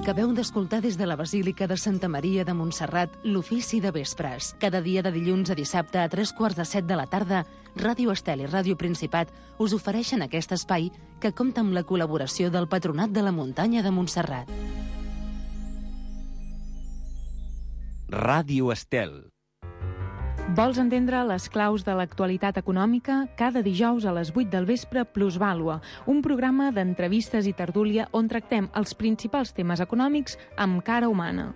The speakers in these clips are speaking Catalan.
Acabeu d'escoltar des de la Basílica de Santa Maria de Montserrat l'ofici de vespres. Cada dia de dilluns a dissabte a 3:45 de la tarda, Ràdio Estel i Ràdio Principat us ofereixen aquest espai que compta amb la col·laboració del Patronat de la Muntanya de Montserrat. Ràdio Estel. Vols entendre les claus de l'actualitat econòmica? Cada dijous a les 8 del vespre, Plusvàlua, un programa d'entrevistes i tertúlia on tractem els principals temes econòmics amb cara humana.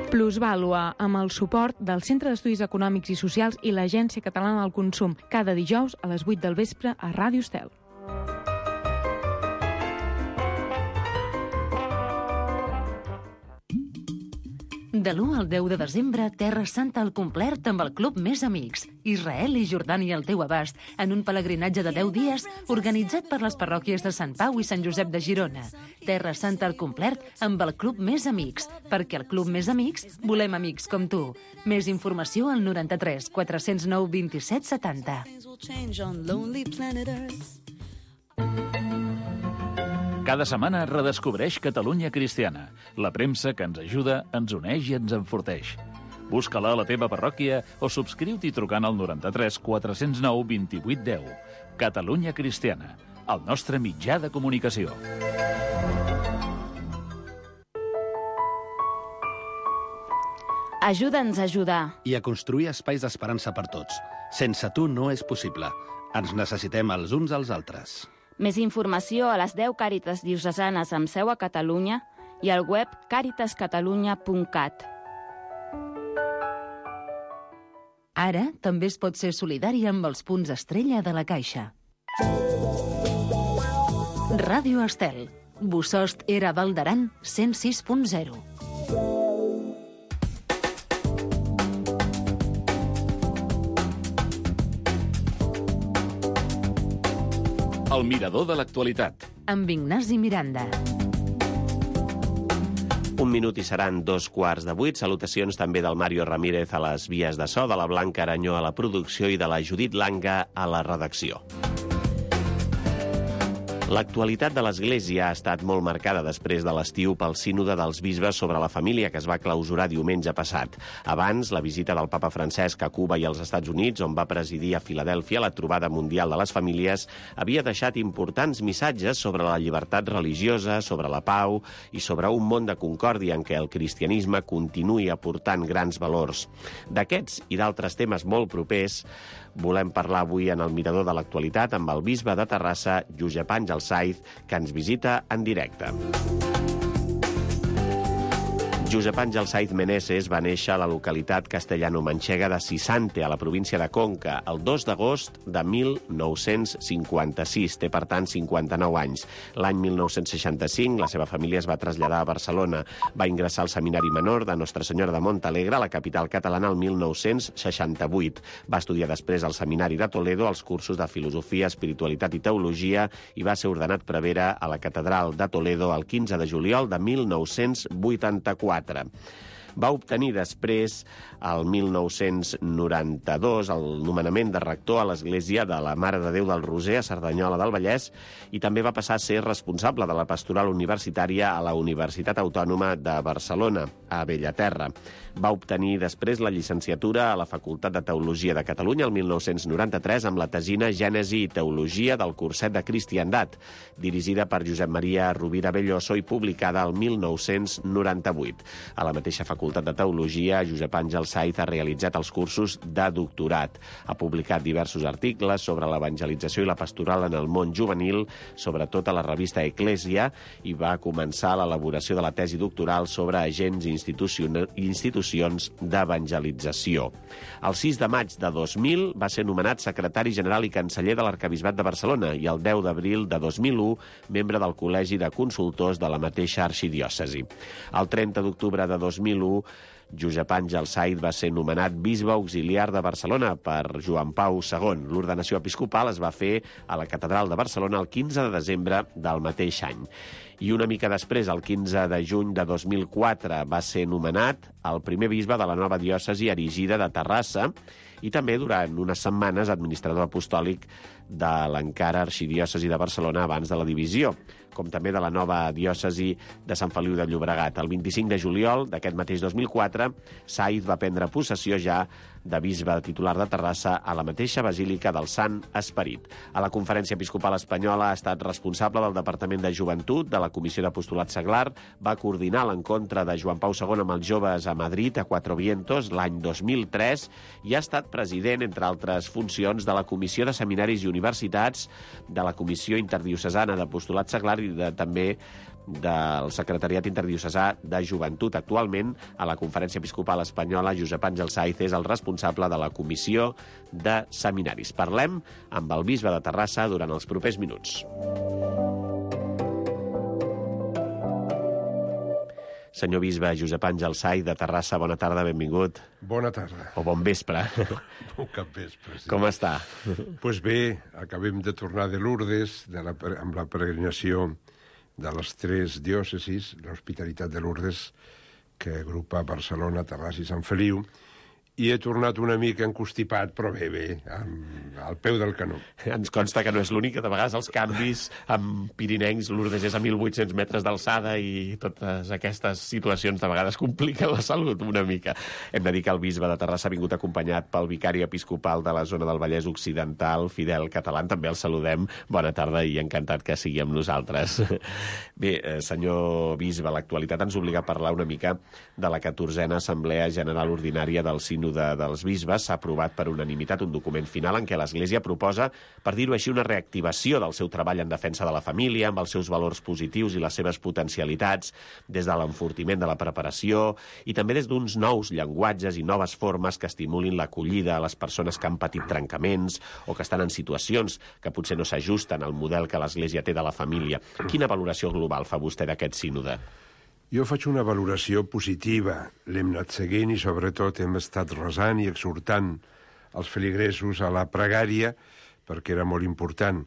Plusvàlua, amb el suport del Centre d'Estudis Econòmics i Socials i l'Agència Catalana del Consum, cada dijous a les 8 del vespre a Ràdio Estel. De l'1 al 10 de desembre, Terra Santa al complet amb el Club Més Amics. Israel i Jordània al teu abast, en un pelegrinatge de 10 dies organitzat per les parròquies de Sant Pau i Sant Josep de Girona. Terra Santa al complet amb el Club Més Amics, perquè al Club Més Amics volem amics com tu. Més informació al 93 409 27 70. Cada setmana redescobreix Catalunya Cristiana, la premsa que ens ajuda, ens uneix i ens enforteix. Busca-la a la teva parròquia o subscriu-t'hi trucant al 93 409 28 10. Catalunya Cristiana, el nostre mitjà de comunicació. Ajuda'ns a ajudar. I a construir espais d'esperança per tots. Sense tu no és possible. Ens necessitem els uns als altres. Més informació a les 10 Càritas diocesanes amb seu a Catalunya i al web caritascatalunya.cat. Ara també es pot ser solidari amb els punts estrella de la Caixa. Ràdio Estel. Bosost era Val d'Aran 106.0. El mirador de l'actualitat. Amb Ignasi Miranda. Un minut i seran 7:15. Salutacions també del Mario Ramírez a les vies de so, de la Blanca Aranyó a la producció i de la Judit Langa a la redacció. L'actualitat de l'Església ha estat molt marcada després de l'estiu pel sínode dels bisbes sobre la família que es va clausurar diumenge passat. Abans, la visita del papa Francesc a Cuba i als Estats Units, on va presidir a Filadèlfia la trobada mundial de les famílies, havia deixat importants missatges sobre la llibertat religiosa, sobre la pau i sobre un món de concòrdia en què el cristianisme continuï aportant grans valors. D'aquests i d'altres temes molt propers volem parlar avui en el Mirador de l'Actualitat amb el bisbe de Terrassa, Josep Àngel Saiz, que ens visita en directe. Josep Àngel Saiz Meneses va néixer a la localitat castellano-manxega de Sisante, a la província de Conca, el 2 d'agost de 1956. Té, per tant, 59 anys. L'any 1965, la seva família es va traslladar a Barcelona. Va ingressar al Seminari Menor de Nostra Senyora de Montalegre, a la capital catalana, el 1968. Va estudiar després al Seminari de Toledo els cursos de Filosofia, Espiritualitat i Teologia i va ser ordenat prevere a la Catedral de Toledo el 15 de juliol de 1984. Va obtenir després, el 1992, el nomenament de rector a l'Església de la Mare de Déu del Roser a Cerdanyola del Vallès i també va passar a ser responsable de la pastoral universitària a la Universitat Autònoma de Barcelona, a Bellaterra. Va obtenir després la llicenciatura a la Facultat de Teologia de Catalunya el 1993 amb la tesina Gènesi i Teologia del Curset de Cristiandat, dirigida per Josep Maria Rovira Belloso i publicada el 1998. A la mateixa Facultat de Teologia, Josep Àngel Saiz ha realitzat els cursos de doctorat. Ha publicat diversos articles sobre l'evangelització i la pastoral en el món juvenil, sobretot a la revista Eclèsia, i va començar l'elaboració de la tesi doctoral sobre agents i institucions d'evangelització. El 6 de maig de 2000 va ser nomenat secretari general i canceller de l'Arquebisbat de Barcelona i el 10 d'abril de 2001 membre del Col·legi de Consultors de la mateixa arxidiòcesi. El 30 d'octubre de 2001 Josep Àngel Saiz va ser nomenat bisbe auxiliar de Barcelona per Joan Pau II. L'ordenació episcopal es va fer a la Catedral de Barcelona el 15 de desembre del mateix any. I una mica després, el 15 de juny de 2004, va ser nomenat el primer bisbe de la nova diòcesi erigida de Terrassa i també durant unes setmanes administrador apostòlic de l'encara arxidiòcesi de Barcelona abans de la divisió, com també de la nova diòcesi de Sant Feliu de Llobregat. El 25 de juliol d'aquest mateix 2004, Saiz va prendre possessió ja de bisbe titular de Terrassa a la mateixa Basílica del Sant Esperit. A la Conferència Episcopal Espanyola ha estat responsable del Departament de Joventut, de la Comissió d'Apostolat Seglar, va coordinar l'encontre de Joan Pau II amb els joves a Madrid, a Cuatro Vientos, l'any 2003, i ha estat president, entre altres funcions, de la Comissió de Seminaris i Universitats, de la Comissió Interdiocesana d'Apostolat Seglar i també del Secretariat Interdiocesà de Joventut. Actualment, a la Conferència Episcopal Espanyola, Josep Àngel Saiz és el responsable de la Comissió de Seminaris. Parlem amb el bisbe de Terrassa durant els propers minuts. Senyor bisbe Josep Àngel Saiz de Terrassa, bona tarda, benvingut. Bona tarda. O bon vespre. Bon capvespre, sí. Com està? Doncs bé, acabem de tornar de Lourdes amb la peregrinació de les 3 diòcesis, l'Hospitalitat de Lourdes, que agrupa Barcelona, Terrassa i Sant Feliu, i he tornat una mica encostipat, però bé, al peu del canó. Ens consta que no és l'únic, que de vegades els canvis amb pirinencs, Lourdes és a 1.800 metres d'alçada i totes aquestes situacions de vegades compliquen la salut una mica. Hem de dir que el bisbe de Terrassa ha vingut acompanyat pel vicari episcopal de la zona del Vallès Occidental, Fidel Catalán, també el saludem. Bona tarda i encantat que sigui amb nosaltres. Bé, senyor bisbe, l'actualitat ens obliga a parlar una mica de la 14a Assemblea General Ordinària del Sínode dels bisbes. S'ha aprovat per unanimitat un document final en què l'Església proposa, per dir-ho així, una reactivació del seu treball en defensa de la família, amb els seus valors positius i les seves potencialitats, des de l'enfortiment de la preparació i també des d'uns nous llenguatges i noves formes que estimulin l'acollida a les persones que han patit trencaments o que estan en situacions que potser no s'ajusten al model que l'Església té de la família. Quina valoració global fa vostè d'aquest sínode? Jo faig una valoració positiva. L'hem anat seguint i, sobretot, hem estat resant i exhortant els feligresos a la pregària, perquè era molt important.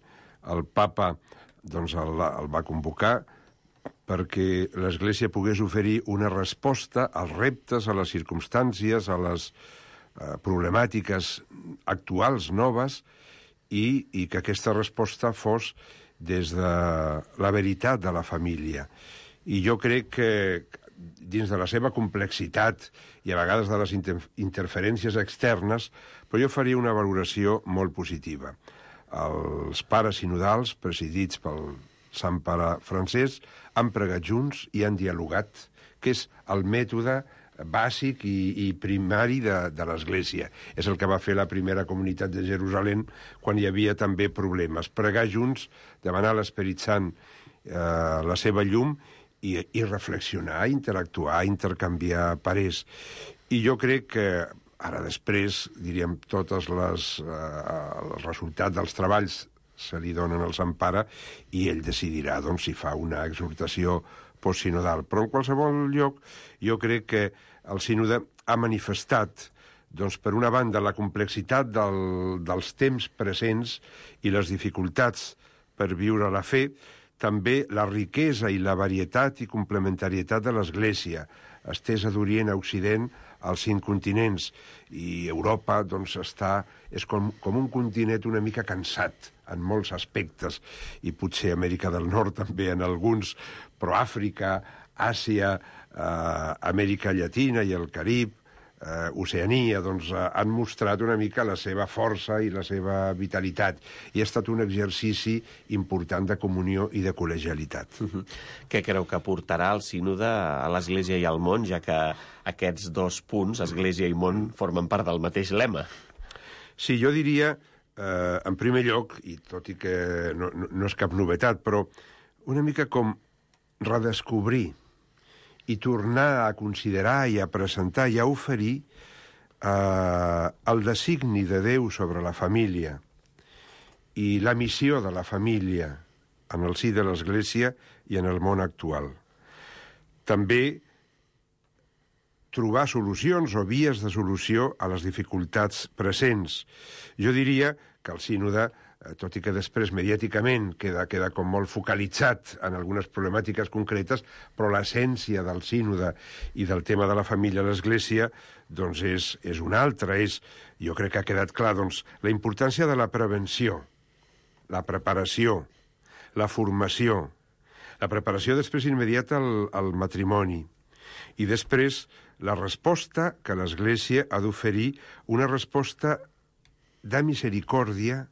El papa doncs, el va convocar perquè l'Església pogués oferir una resposta als reptes, a les circumstàncies, a les problemàtiques actuals, noves, i que aquesta resposta fos des de la veritat de la família. I jo crec que dins de la seva complexitat i a vegades de les interferències externes, però jo faria una valoració molt positiva. Els pares sinodals, presidits pel Sant Pare Francesc, han pregat junts i han dialogat, que és el mètode bàsic i primari de l'Església. És el que va fer la primera comunitat de Jerusalem quan hi havia també problemes. Pregar junts, demanar a l'Esperit Sant la seva llum i reflexionar, interactuar, intercanviar parers. I jo crec que ara després, diríem, tots els resultats dels treballs se li donen al Sant Pare i ell decidirà doncs, si fa una exhortació postsinodal. Però en qualsevol lloc jo crec que el sínode ha manifestat doncs, per una banda, la complexitat dels temps presents i les dificultats per viure la fe, també la riquesa i la varietat i complementarietat de l'Església, estesa d'Orient a Occident als 5 continents. I Europa doncs, és com un continent una mica cansat en molts aspectes, i potser Amèrica del Nord també en alguns, però Àfrica, Àsia, Amèrica Llatina i el Carib, Oceania, doncs han mostrat una mica la seva força i la seva vitalitat. I ha estat un exercici important de comunió i de col·legialitat. Què creu que aportarà el sínode a l'Església i al món, ja que aquests 2 punts, Església i món, formen part del mateix lema? Sí, jo diria, en primer lloc, i tot i que no és cap novetat, però una mica com redescobrir i tornar a considerar i a presentar i a oferir el designi de Déu sobre la família i la missió de la família en el si de l'Església i en el món actual. També trobar solucions o vies de solució a les dificultats presents. Jo diria que el sínode, tot i que després mediàticament queda com molt focalitzat en algunes problemàtiques concretes, però l'essència del sínode i del tema de la família a l'Església doncs és una altra. Jo crec que ha quedat clar la importància de la prevenció, la preparació, la formació, la preparació després immediata al matrimoni i després la resposta que l'Església ha d'oferir, una resposta de misericòrdia,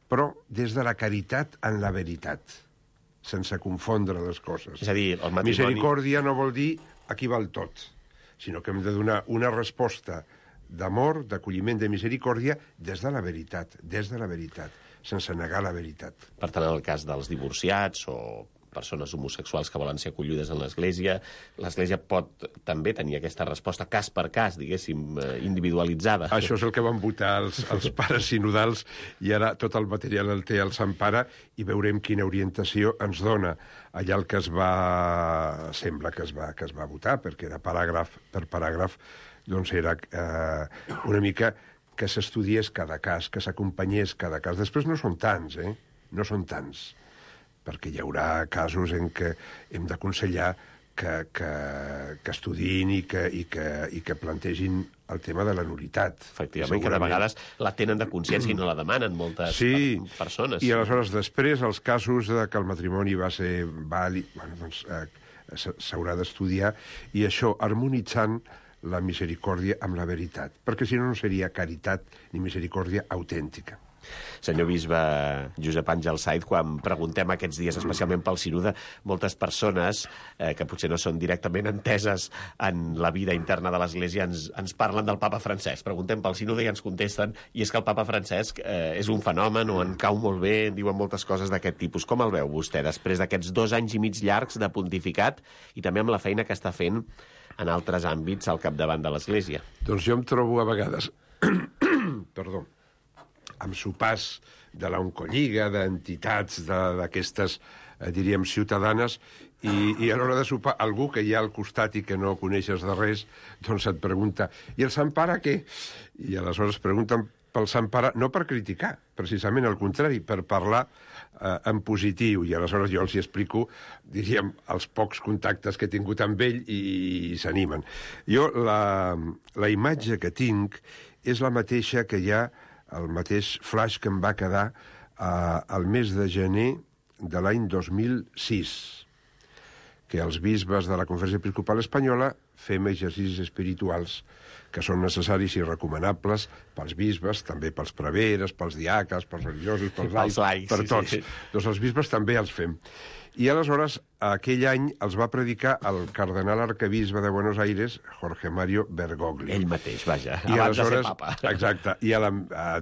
però des de la caritat en la veritat, sense confondre les coses. És a dir, el matrimoni... Misericòrdia no vol dir aquí val tot, sinó que hem de donar una resposta d'amor, d'acolliment, de misericòrdia des de la veritat, sense negar la veritat. Per tant, en el cas dels divorciats o persones homosexuals que volen ser acollides en l'Església pot també tenir aquesta resposta cas per cas, diguéssim, individualitzada. Això és el que van votar els pares sinodals i ara tot el material el té el Sant Pare i veurem quina orientació ens dona. Allà el que sembla que es va votar, perquè era paràgraf per paràgraf, doncs era una mica que s'estudiés cada cas, que s'acompanyés cada cas. Després no són tants, no són tants, perquè hi haurà casos en què hem d'aconsellar que estudiïn i que plantegin el tema de la nul·litat. Efectivament, que de vegades la tenen de consciència i no la demanen moltes persones. I aleshores després els casos que el matrimoni va ser vàlid, doncs s'haurà d'estudiar i això harmonitzant la misericòrdia amb la veritat, perquè si no seria caritat ni misericòrdia autèntica. Senyor bisbe Josep Àngel Saiz, quan preguntem aquests dies, especialment pel sínode, moltes persones que potser no són directament enteses en la vida interna de l'Església ens parlen del papa Francesc. Preguntem pel sínode i ens contesten, i és que el papa Francesc és un fenomen o en cau molt bé, diuen moltes coses d'aquest tipus. Com el veu vostè, després d'aquests 2 anys i mig llargs de pontificat i també amb la feina que està fent en altres àmbits al capdavant de l'Església? Doncs jo em trobo a vegades... Perdó. Amb sopars de l'Oncolliga, d'entitats d'aquestes, diríem, ciutadanes, i a l'hora de sopar, algú que hi ha al costat i que no coneixes de res, doncs et pregunta, i el Sant Pare què? I aleshores pregunten pel Sant Pare, no per criticar, precisament al contrari, per parlar en positiu, i aleshores jo els hi explico, diríem, els pocs contactes que he tingut amb ell i s'animen. Jo, la imatge que tinc és la mateixa que hi ha el mateix flash que em va quedar al mes de gener de l'any 2006, que els bisbes de la Conferència Episcopal Espanyola fem exercicis espirituals que són necessaris i recomanables pels bisbes, també pels preveres, pels diaques, pels religiosos, pels laics, per tots. Sí. Doncs els bisbes també els fem. I aleshores, aquell any els va predicar el cardenal arquebisbe de Buenos Aires, Jorge Mario Bergoglio. Ell mateix, vaja, I abans de ser papa. Exacte. I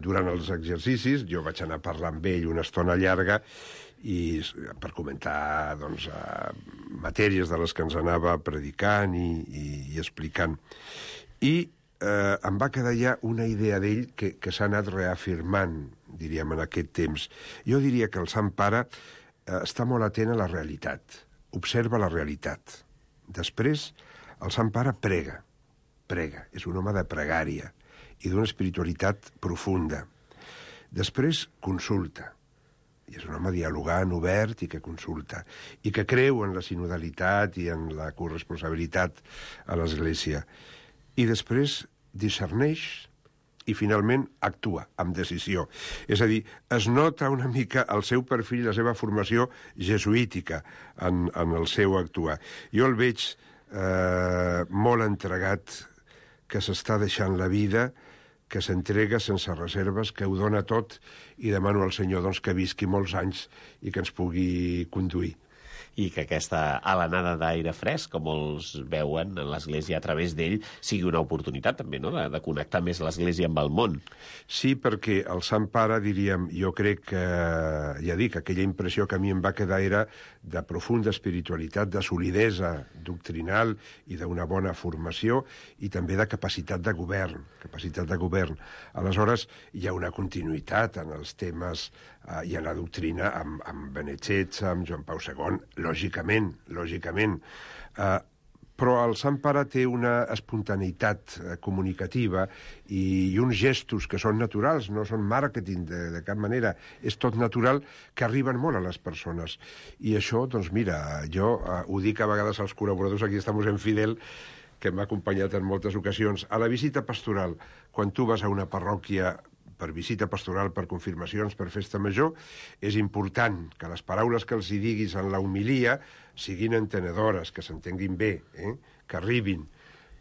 durant els exercicis jo vaig anar a parlar amb ell una estona llarga i per comentar doncs, matèries de les que ens anava predicant i explicant. I em va quedar ja una idea d'ell que s'ha anat reafirmant, diríem, en aquest temps. Jo diria que el Sant Pare està molt atent a la realitat, observa la realitat. Després, el Sant Pare prega, és un home de pregària i d'una espiritualitat profunda. Després, consulta, i és un home dialogant, obert i que consulta, i que creu en la sinodalitat i en la corresponsabilitat a l'Església. I després discerneix i finalment actua amb decisió. És a dir, es nota una mica el seu perfil, la seva formació jesuítica en el seu actuar. Jo el veig molt entregat, que s'està deixant la vida, que s'entrega sense reserves, que ho dona tot, i demano al Senyor doncs, que visqui molts anys i que ens pugui conduir. I que aquesta alenada d'aire fresc, com molts veuen en l'Església a través d'ell, sigui una oportunitat també, no?, de connectar més l'Església amb el món. Sí, perquè el Sant Pare, diríem, jo crec que, ja dic, aquella impressió que a mi em va quedar era de profunda espiritualitat, de solidesa doctrinal i d'una bona formació i també de capacitat de govern. Aleshores, hi ha una continuïtat en els temes i en la doctrina amb Benet XVI, amb Joan Pau II, lògicament. però el Sant Pare té una espontaneïtat comunicativa i uns gestos que són naturals, no són màrqueting de cap manera, és tot natural, que arriben molt a les persones. I això, doncs mira, jo ho dic a vegades als col·laboradors, aquí estamos en Fidel, que m'ha acompanyat en moltes ocasions. A la visita pastoral, quan tu vas a una parròquia per visita pastoral, per confirmacions, per festa major, és important que les paraules que els hi diguis en la homilia siguin entenedores, que s'entenguin bé, que arribin.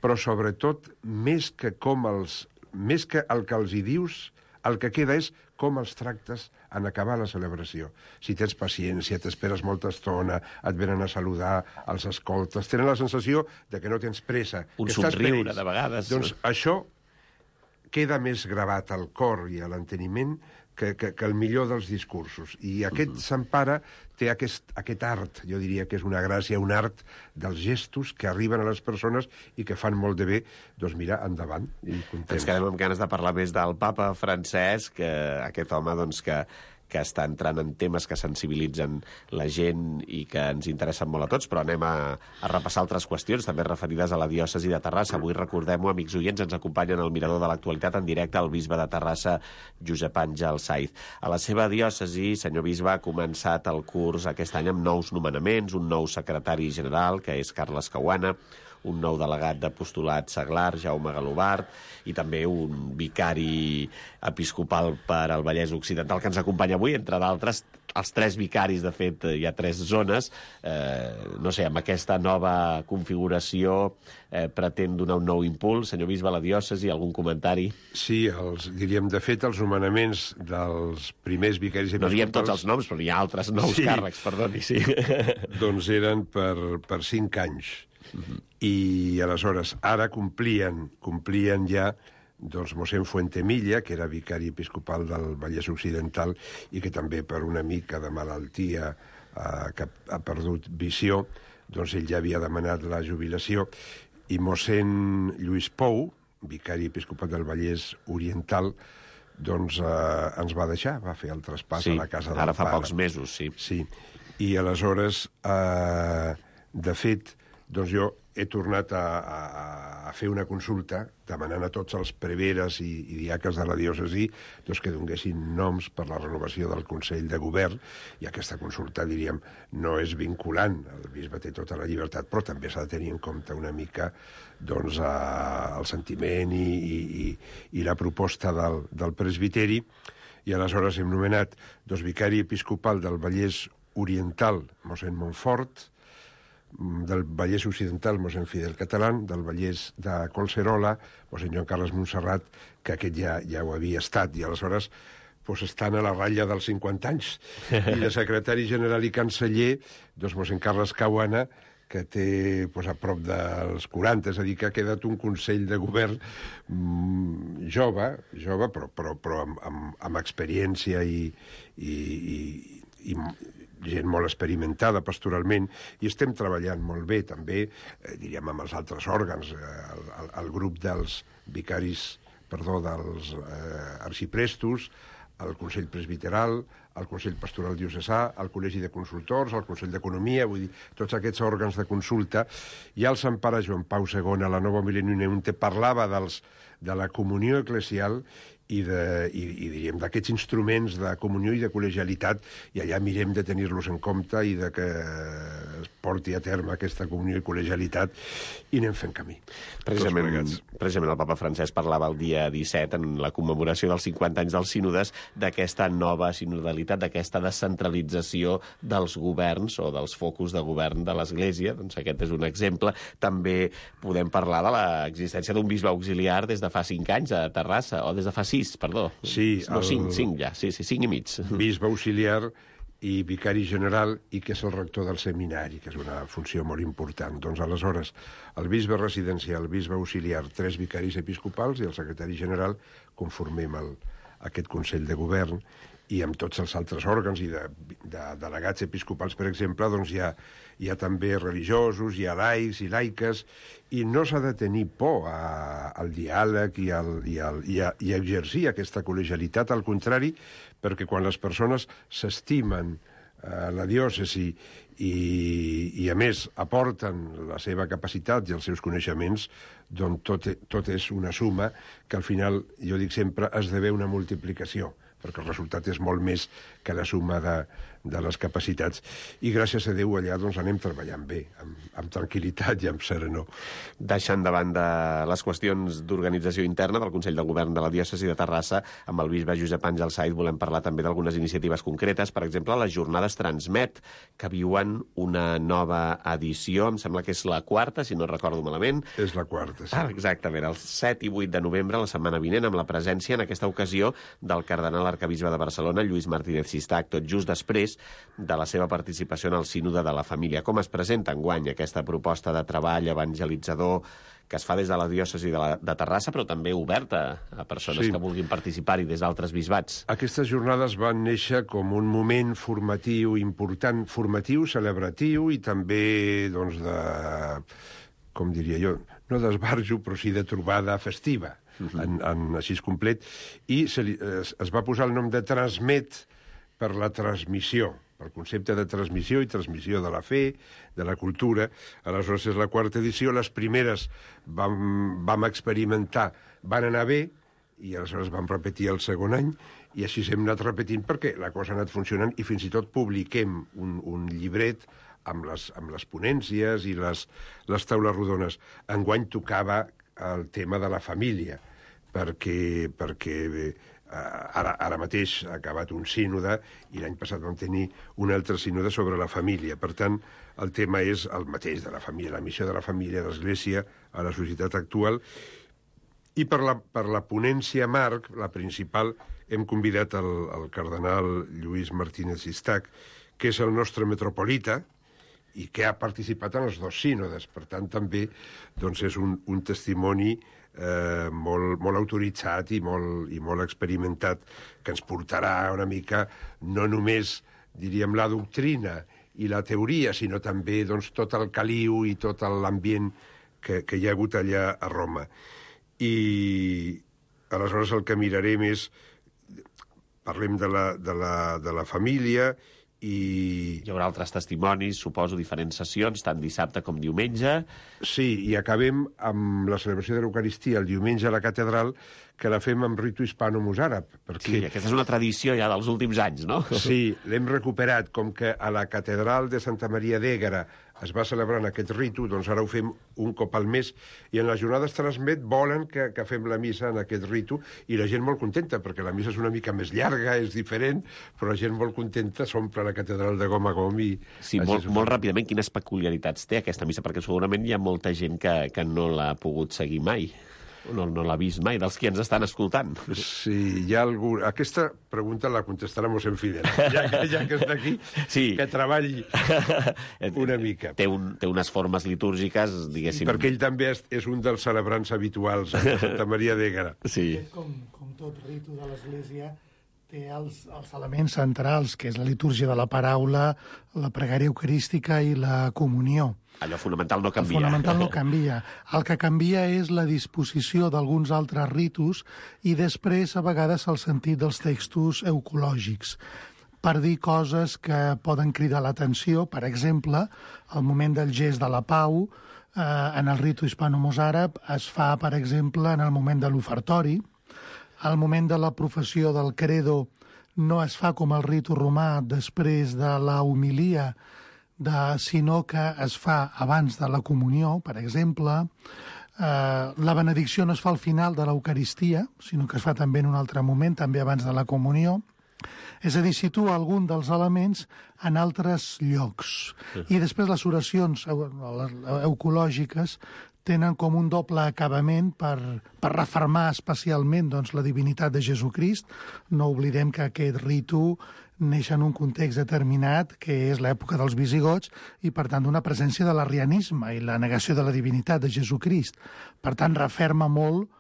Però, sobretot, més que el que els hi dius, el que queda és com els tractes en acabar la celebració. Si tens paciència, t'esperes molta estona, et venen a saludar, els escoltes, tenen la sensació de que no tens pressa. Un somriure, de vegades. Doncs això queda més gravat al cor i a l'enteniment que el millor dels discursos. I aquest Sant Pare té aquest art, jo diria que és una gràcia, un art dels gestos que arriben a les persones i que fan molt de bé. Doncs mira, endavant. I contents. Ens quedem amb ganes de parlar més del papa Francesc, aquest home doncs, que està entrant en temes que sensibilitzen la gent i que ens interessen molt a tots, però anem a repassar altres qüestions, també referides a la diòcesi de Terrassa. Avui, recordem-ho, amics oients, ens acompanyen al Mirador de l'Actualitat en directe el bisbe de Terrassa, Josep Àngel Saiz. A la seva diòcesi, senyor bisbe, ha començat el curs aquest any amb nous nomenaments, un nou secretari general, que és Carles Cahuana, un nou delegat d'apostolat seglar, Jaume Galobart, i també un vicari episcopal per al Vallès Occidental, que ens acompanya avui, entre d'altres, els 3 vicaris, de fet, hi ha 3 zones. No sé, amb aquesta nova configuració pretén donar un nou impuls. Senyor bisbe, a la diòcesi, algun comentari? Sí, diríem, de fet, els nomenaments dels primers vicaris episcopals... No diem tots els noms, però hi ha altres nous càrrecs, perdoni, sí. Doncs eren per 5 anys. I aleshores ara complien ja doncs mossèn Fuentemilla, que era vicari episcopal del Vallès Occidental i que també per una mica de malaltia que ha perdut visió, doncs ell ja havia demanat la jubilació, i mossèn Lluís Pou, vicari episcopal del Vallès Oriental, doncs ens va deixar, va fer el traspàs a la casa del pare. Ara fa pocs mesos, sí. Sí, i aleshores, de fet, doncs jo he tornat a fer una consulta demanant a tots els preveres i diaques de la diòcesi doncs que donguessin noms per la renovació del Consell de Govern, i aquesta consulta, diríem, no és vinculant. El bisbe té tota la llibertat, però també s'ha de tenir en compte una mica doncs, el sentiment i la proposta del presbiteri, i aleshores hem nomenat vicari episcopal del Vallès Oriental, mossèn Montfort, del Vallès Occidental, mossèn Fidel Catalán, del Vallès de Collserola, mossèn Joan Carles Montserrat, que aquest ja ho havia estat, i aleshores estan a la ratlla dels 50 anys. I de secretari general i canceller, mossèn Carles Cahuana, que té a prop dels 40, és a dir, que ha quedat un Consell de Govern jove, però amb experiència i gent molt experimentada pastoralment, i estem treballant molt bé també, diríem, amb els altres òrgans, el grup dels vicaris, dels arxiprestos, el Consell Presbiteral, el Consell Pastoral Diocesà, el Col·legi de Consultors, el Consell d'Economia, vull dir, tots aquests òrgans de consulta. I el Sant Pare Joan Pau II, a la Nova Millennium Neunte, parlava de la comunió eclesial i diríem d'aquests instruments de comunió i de col·legialitat, i allà mirem de tenir-los en compte i de que es porti a terme aquesta comunió i col·legialitat, i anem fent camí. Precisament el papa Francesc parlava el dia 17, en la commemoració dels 50 anys dels sínodes, d'aquesta nova sinodalitat, d'aquesta descentralització dels governs o dels focus de govern de l'Església. Doncs aquest és un exemple. També podem parlar de l'existència d'un bisbe auxiliar des de fa 5 anys a Terrassa, o des de fa 6, perdó. Sí, no, 5 ja, sí, 5 i mig. Bisbe auxiliar i vicari general, i que és el rector del seminari, que és una funció molt important. Doncs aleshores, el bisbe residencial, el bisbe auxiliar, 3 vicaris episcopals i el secretari general conformem aquest Consell de Govern, i amb tots els altres òrgans i de delegats episcopals, per exemple, doncs hi ha també religiosos, hi ha laics i laiques, i no s'ha de tenir por al diàleg i a exercir aquesta col·legialitat, al contrari, perquè quan les persones s'estimen la diòcesi I a més aporten la seva capacitat i els seus coneixements, doncs tot és una suma que al final, jo dic sempre, esdevé una multiplicació, perquè el resultat és molt més que la suma de les capacitats. I gràcies a Déu allà doncs anem treballant bé, amb tranquil·litat i amb serenor. Deixant de banda les qüestions d'organització interna del Consell de Govern de la Diòcesi de Terrassa, amb el bisbe Josep Àngel Saiz volem parlar també d'algunes iniciatives concretes, per exemple, les jornades Transmet, que viuen una nova edició, em sembla que és la quarta, si no recordo malament. És la quarta, sí. Exactament, el 7 i 8 de novembre, la setmana vinent, amb la presència en aquesta ocasió del cardenal arcabisbe de Barcelona, Lluís Martínez Sistac, tot just després de la seva participació en el Sínode de la Família. Com es presenta enguany aquesta proposta de treball evangelitzador que es fa des de la diòcesi de Terrassa, però també oberta a persones que vulguin participar-hi des d'altres bisbats? Aquestes jornades van néixer com un moment formatiu important, formatiu, celebratiu i també, doncs, com diria jo, no d'esbarjo, però sí de trobada festiva, així complet, i es va posar el nom de Transmet per la transmissió, pel concepte de transmissió i transmissió de la fe, de la cultura. Aleshores és la quarta edició, les primeres vam experimentar, van anar bé, i aleshores vam repetir el segon any, i així hem anat repetint perquè la cosa ha anat funcionant, i fins i tot publiquem un llibret amb les ponències i les taules rodones. Enguany tocava el tema de la família, perquè ara mateix ha acabat un sínode i l'any passat vam tenir un altre sínode sobre la família. Per tant, el tema és el mateix de la família, la missió de la família, de l'Església a la societat actual. I per la ponència marc, la principal, hem convidat el cardenal Lluís Martínez Sistac, que és el nostre metropolita i que ha participat en els dos sínodes. Per tant, també doncs, és un testimoni molt autoritzat i molt experimentat, que ens portarà una mica no només, diríem, la doctrina i la teoria, sinó també doncs, tot el caliu i tot l'ambient que hi ha hagut allà a Roma. I aleshores el que mirarem és, parlem de la família, i hi haurà altres testimonis, suposo, diferents sessions, tant dissabte com diumenge. Sí, i acabem amb la celebració de l'Eucaristia el diumenge a la catedral, que la fem amb ritu hispano-mozàrab. Sí, aquesta és una tradició ja dels últims anys, no? Sí, l'hem recuperat, com que a la catedral de Santa Maria d'Ègara es va celebrant aquest ritu, doncs ara ho fem un cop al mes, i en les jornades Transmet volen que fem la missa en aquest ritu, i la gent molt contenta, perquè la missa és una mica més llarga, és diferent, però la gent molt contenta, s'omple la catedral de gom a gom. Sí, molt ràpidament, quines peculiaritats té aquesta missa? Perquè segurament hi ha molta gent que no l'ha pogut seguir mai. No l'ha vist mai, dels qui ens estan escoltant. Sí, hi ha algú... Aquesta pregunta la contestarà mossèn Fidel, ja que està aquí, sí. Que treballi una mica. Té unes formes litúrgiques, diguéssim... Perquè ell també és un dels celebrants habituals a Santa Maria d'Ègara. Sí. Com tot ritu de l'Església, té els elements centrals, que és la litúrgia de la paraula, la pregària eucarística i la comunió. Allò fonamental no canvia. El fonamental no canvia. El que canvia és la disposició d'alguns altres ritus i després, a vegades, el sentit dels textos eucològics, per dir coses que poden cridar l'atenció. Per exemple, el moment del gest de la pau, en el ritu hispano-mozàrab, es fa, per exemple, en el moment de l'ofertori. El moment de la professió del credo no es fa com el ritu romà després de la homilia, sinó que es fa abans de la comunió, per exemple. La benedicció no es fa al final de l'Eucaristia, sinó que es fa també en un altre moment, també abans de la comunió. És a dir, situa algun dels elements en altres llocs. I després les oracions eucològiques tenen com un doble acabament per refermar especialment doncs, la divinitat de Jesucrist. No oblidem que aquest ritu neix en un context determinat, que és l'època dels visigots, i per tant d'una presència de l'arrianisme i la negació de la divinitat de Jesucrist. Per tant, referma molt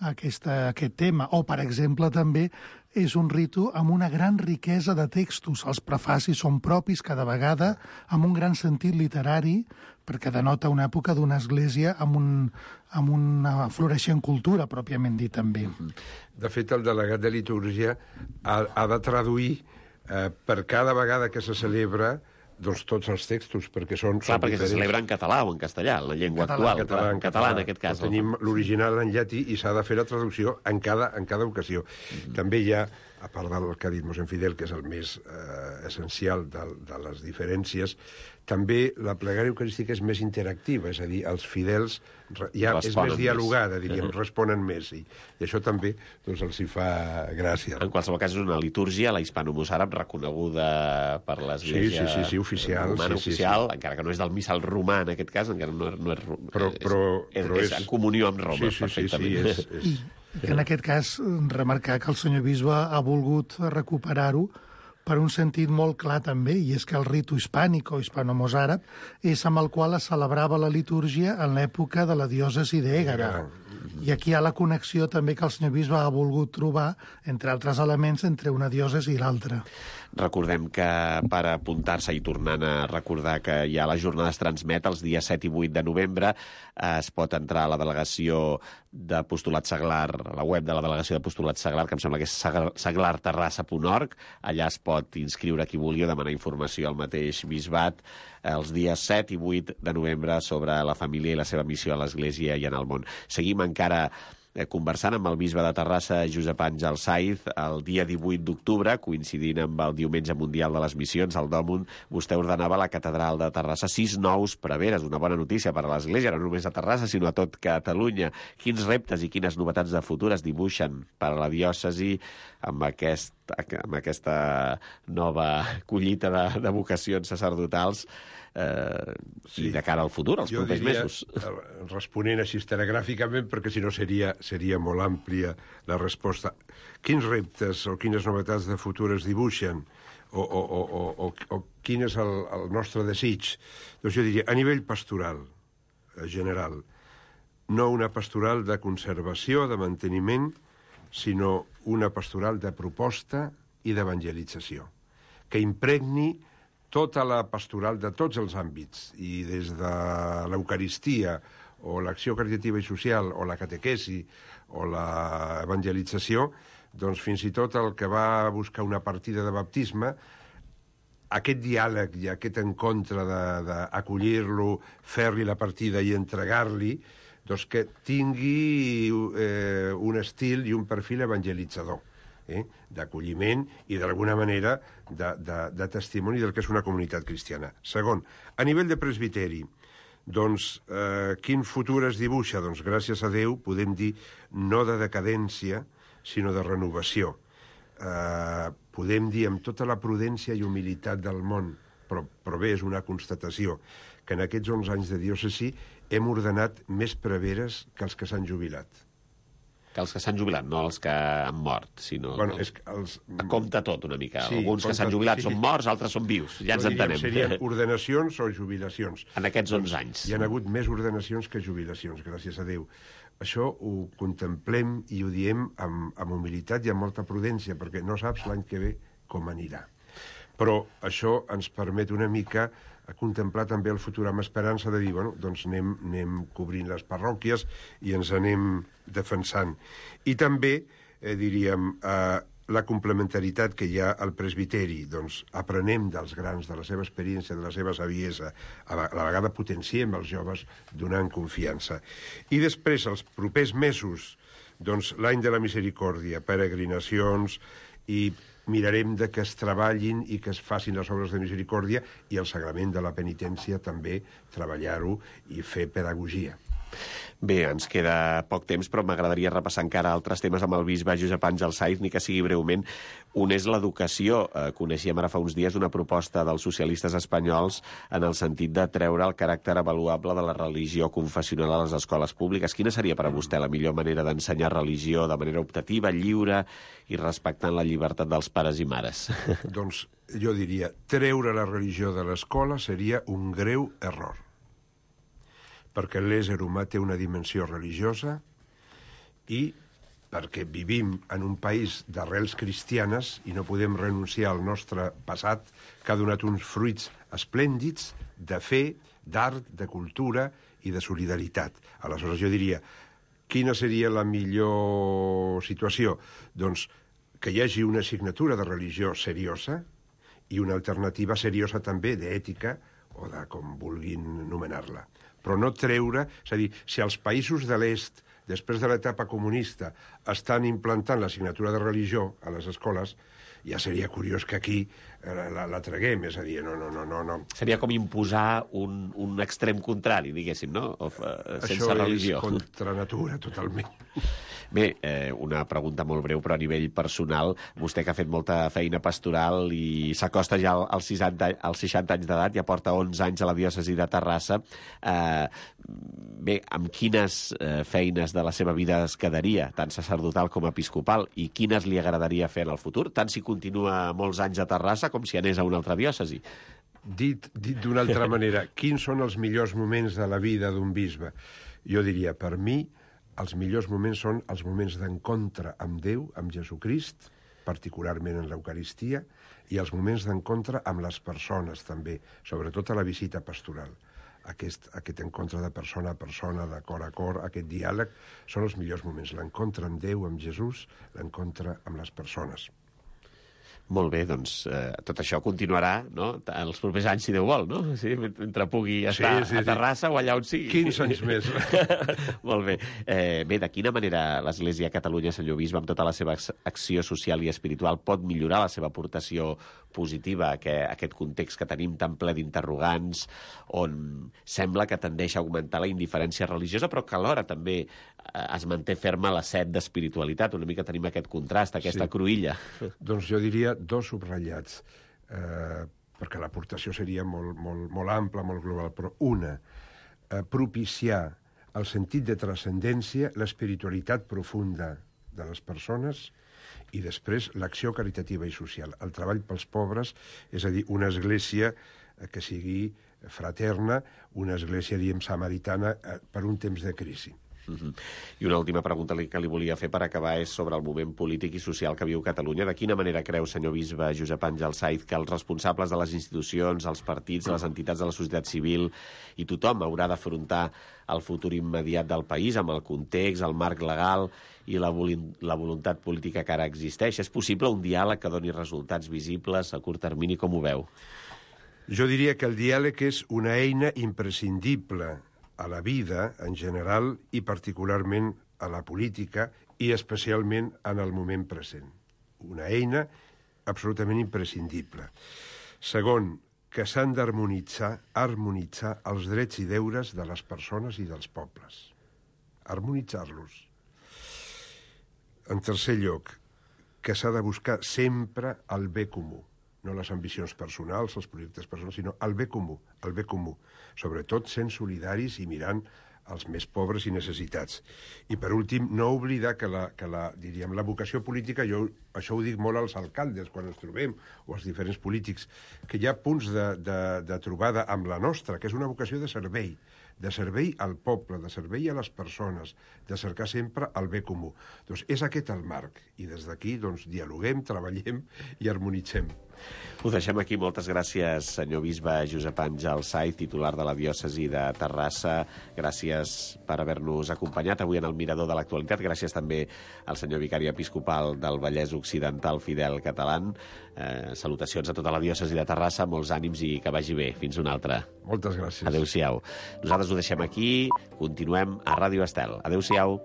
aquest tema. O, per exemple, també és un ritu amb una gran riquesa de textos. Els prefacis són propis cada vegada, amb un gran sentit literari, perquè denota una època d'una església amb una floreixent cultura, pròpiament dit, també. De fet, el delegat de litúrgia ha de traduir per cada vegada que se celebra Doncs tots els textos, perquè són Clar, perquè se diferents. celebra en català o en castellà, en la llengua actual. En català, en aquest cas. Tenim l'original en llatí i s'ha de fer la traducció en cada ocasió. També hi ha, a part del que ha dit mossèn Fidel, que és el més essencial de les diferències, també la plegària eucarística és més interactiva, és a dir, els fidels és més dialogada, diríem, responen més, i això també doncs, els hi fa gràcia. En qualsevol cas, és una litúrgia, la hispano-mossàrab, reconeguda per l'Església oficial, romana oficial, encara que no és del missal romà, en aquest cas, encara no és... Però és en comunió amb Roma, perfectament. I que en aquest cas, remarcar que el senyor bisbe ha volgut recuperar-ho per un sentit molt clar també, i és que el ritu hispànic o hispano-mossàrab és amb el qual es celebrava la litúrgia en l'època de la diòcesi d'Ègara. I aquí hi ha la connexió també que el senyor bisbe ha volgut trobar, entre altres elements, entre una diòcesi i l'altra. Recordem que per apuntar-se i tornant a recordar que ja la jornada es transmet els dies 7 i 8 de novembre, es pot entrar a la delegació d'Apostolat Seglar, a la web de la delegació d'Apostolat Seglar, que em sembla que és seglarterrassa.org. Allà es pot inscriure qui vulgui o demanar informació al mateix bisbat els dies 7 i 8 de novembre sobre la família i la seva missió a l'Església i en el món. Seguim encara conversant amb el bisbe de Terrassa, Josep Àngel Saiz, el dia 18 d'octubre, coincidint amb el Diumenge Mundial de les Missions, el Dòmun, vostè ordenava a la catedral de Terrassa 6 nous preveres, una bona notícia per a l'Església, no només a Terrassa, sinó a tot Catalunya. Quins reptes i quines novetats de futur es dibuixen per a la diòcesi amb aquesta nova collita de vocacions sacerdotals i de cara al futur, als propers mesos? Responent així telegràficament, perquè si no seria molt àmplia la resposta. Quins reptes o quines novetats de futur es dibuixen? O quin és el nostre desig? Doncs jo diria, a nivell pastoral, general, no una pastoral de conservació, de manteniment, sinó una pastoral de proposta i d'evangelització, que impregni tota la pastoral de tots els àmbits, i des de l'Eucaristia, o l'acció caritativa i social, o la catequesi, o l'evangelització, doncs fins i tot el que va a buscar una partida de baptisme, aquest diàleg i aquest encontre d'acollir-lo, fer-li la partida i entregar-li, doncs que tingui un estil i un perfil evangelitzador, d'acolliment i d'alguna manera de testimoni del que és una comunitat cristiana. Segon, a nivell de presbiteri, doncs quin futur es dibuixa? Doncs gràcies a Déu podem dir no de decadència, sinó de renovació. Podem dir amb tota la prudència i humilitat del món, però bé, és una constatació, que en aquests 11 anys de diòcesi hem ordenat més preveres que els que s'han jubilat. Que els que s'han jubilat, no els que han mort, sinó... Bueno, és que compta tot una mica. Sí, alguns que s'han jubilat són morts, altres són vius. Ja ens entenem. Serien ordenacions o jubilacions. En aquests 11 anys. Hi ha hagut més ordenacions que jubilacions, gràcies a Déu. Això ho contemplem i ho diem amb humilitat i amb molta prudència, perquè no saps l'any que ve com anirà. Però això ens permet una mica a contemplar també el futur amb esperança de dir, bueno, doncs anem cobrint les parròquies i ens anem defensant. I també, diríem, la complementaritat que hi ha al presbiteri, doncs aprenem dels grans, de la seva experiència, de la seva saviesa, a la vegada potenciem els joves donant confiança. I després, els propers mesos, doncs l'any de la misericòrdia, peregrinacions, i mirarem de que es treballin i que es facin les obres de misericòrdia, i el sagrament de la penitència també treballar-ho i fer pedagogia. Bé, ens queda poc temps, però m'agradaria repassar encara altres temes amb el bisbe Josep Àngel Saiz, ni que sigui breument. Un és l'educació. Coneixíem ara fa uns dies una proposta dels socialistes espanyols en el sentit de treure el caràcter avaluable de la religió confessional a les escoles públiques. Quina seria per a vostè la millor manera d'ensenyar religió de manera optativa, lliure i respectant la llibertat dels pares i mares? Doncs jo diria, treure la religió de l'escola seria un greu error, perquè l'ésser humà té una dimensió religiosa i perquè vivim en un país d'arrels cristianes i no podem renunciar al nostre passat, que ha donat uns fruits esplèndids de fe, d'art, de cultura i de solidaritat. Aleshores jo diria, quina seria la millor situació? Doncs que hi hagi una assignatura de religió seriosa i una alternativa seriosa també d'ètica o de com vulguin anomenar-la. Però no treure... És a dir, si els països de l'est, després de l'etapa comunista, estan implantant l'assignatura de religió a les escoles, ja seria curiós que aquí la traguem, és a dir, no. Seria com imposar un extrem contrari, diguéssim, no? Sense religió. Això és contra natura, totalment. Bé, una pregunta molt breu, però a nivell personal, vostè que ha fet molta feina pastoral i s'acosta ja als 60 anys d'edat, ja porta 11 anys a la diòcesi de Terrassa, bé, amb quines feines de la seva vida es quedaria, tant sacerdotal com episcopal, i quines li agradaria fer en el futur, tant si continua molts anys a Terrassa com si anés a una altra diòcesi? Dit d'una altra manera, quins són els millors moments de la vida d'un bisbe? Jo diria, per mi, els millors moments són els moments d'encontre amb Déu, amb Jesucrist, particularment en l'Eucaristia, i els moments d'encontre amb les persones, també, sobretot a la visita pastoral. Aquest encontre de persona a persona, de cor a cor, aquest diàleg, són els millors moments. L'encontre amb Déu, amb Jesús, l'encontre amb les persones. Molt bé, doncs tot això continuarà, no?, els propers anys, si Déu vol, no? Sí, mentre pugui estar a Terrassa o allà on sigui. 15 anys més. Molt bé. Bé, de quina manera l'Església a Catalunya, senyor bisbe, amb tota la seva acció social i espiritual, pot millorar la seva aportació positiva a aquest context que tenim tan ple d'interrogants, on sembla que tendeix a augmentar la indiferència religiosa, però que alhora també es manté ferma la set d'espiritualitat? Una mica tenim aquest contrast, aquesta cruïlla. Doncs jo diria dos subratllats, perquè l'aportació seria molt ampla, molt global, però una, propiciar el sentit de transcendència, l'espiritualitat profunda de les persones, i després l'acció caritativa i social, el treball pels pobres, és a dir, una església que sigui fraterna, una església, diem, samaritana, per un temps de crisi. I una última pregunta que li volia fer per acabar és sobre el moment polític i social que viu Catalunya. De quina manera creu, senyor bisbe Josep Àngel Saiz, que els responsables de les institucions, els partits, les entitats de la societat civil i tothom haurà d'afrontar el futur immediat del país amb el context, el marc legal i la voluntat política que ara existeix? És possible un diàleg que doni resultats visibles a curt termini? Com ho veu? Jo diria que el diàleg és una eina imprescindible a la vida en general i particularment a la política i especialment en el moment present. Una eina absolutament imprescindible. Segon, que s'han d'harmonitzar els drets i deures de les persones i dels pobles. Harmonitzar-los. En tercer lloc, que s'ha de buscar sempre el bé comú. No les ambicions personals, els projectes personals, sinó el bé comú, sobretot sent solidaris i mirant els més pobres i necessitats. I, per últim, no oblidar que la vocació política, això ho dic molt als alcaldes quan ens trobem, o als diferents polítics, que hi ha punts de trobada amb la nostra, que és una vocació de servei al poble, de servei a les persones, de cercar sempre el bé comú. Doncs és aquest el marc, i des d'aquí dialoguem, treballem i harmonitzem. Ho deixem aquí. Moltes gràcies, senyor bisbe Josep Àngel Saiz, titular de la diòcesi de Terrassa. Gràcies per haver-nos acompanyat avui en el Mirador de l'Actualitat. Gràcies també al senyor vicari episcopal del Vallès Occidental, Fidel Catalán. Salutacions a tota la diòcesi de Terrassa, molts ànims i que vagi bé. Fins una altra. Moltes gràcies. Adéu-siau. Nosaltres ho deixem aquí. Continuem a Ràdio Estel. Adéu-siau.